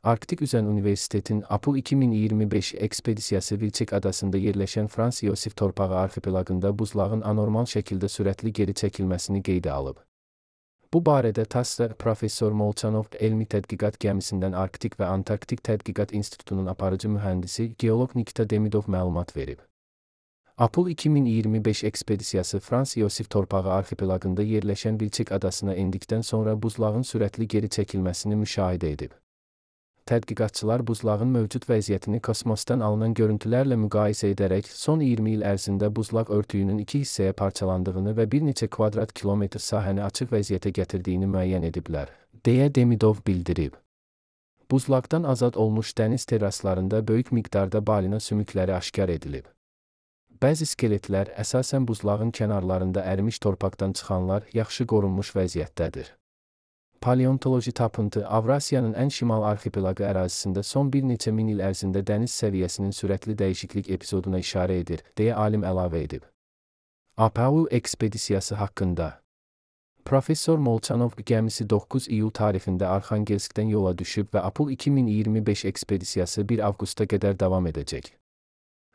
Arktik Üzən Universitetin Apul 2025 ekspedisiyası Vilçek adasında yerləşən Frans Yosif torpağı arxipelagında buzlağın anormal şəkildə sürətli geri çəkilməsini qeydə alıb. Bu barədə TASS-da Professor Molchanov Elmi Tədqiqat Gəmisindən Arktik və Antarktik Tədqiqat İnstitutunun aparıcı mühəndisi geoloq Nikita Demidov məlumat verib. Apul 2025 ekspedisiyası Frans Yosif torpağı arxipelagında yerləşən Vilçek adasına endikdən sonra buzlağın sürətli geri çəkilməsini müşahidə edib. Tədqiqatçılar buzlağın mövcud vəziyyətini kosmosdan alınan görüntülərlə müqayisə edərək son 20 il ərzində buzlaq örtüyünün 2 hissəyə parçalandığını və bir neçə kvadrat kilometr sahəni açıq vəziyyətə gətirdiyini müəyyən ediblər, deyə Demidov bildirib. Buzlaqdan azad olmuş dəniz terraslarında böyük miqdarda balina sümükləri aşkar edilib. Bəzi skeletlər, əsasən buzlağın kənarlarında ərimiş torpaqdan çıxanlar, yaxşı qorunmuş vəziyyətdədir. Paleontoloji tapıntı Avrasiyanın ən şimal arxipelaqı ərazisində son bir neçə min il ərzində dəniz səviyyəsinin sürətli dəyişiklik epizoduna işarə edir, deyə alim əlavə edib. Apul ekspedisiyası haqqında Professor Molchanov gəmisi 9 iyul tarixində Arxangelskdən yola düşüb və Apul 2025 ekspedisiyası 1 avqust'a qədər davam edəcək.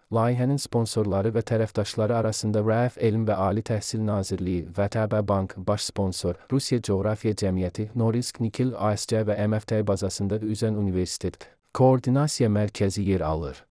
Layihənin sponsorları və tərəfdaşları arasında RAF Elm və Ali Təhsil Nazirliyi, VTB Bank, baş sponsor, Rusiya Coğrafiya Cəmiyyəti, Norilsk Nikel ASC və MFT bazasında Üzən Universitet Koordinasiya Mərkəzi yer alır.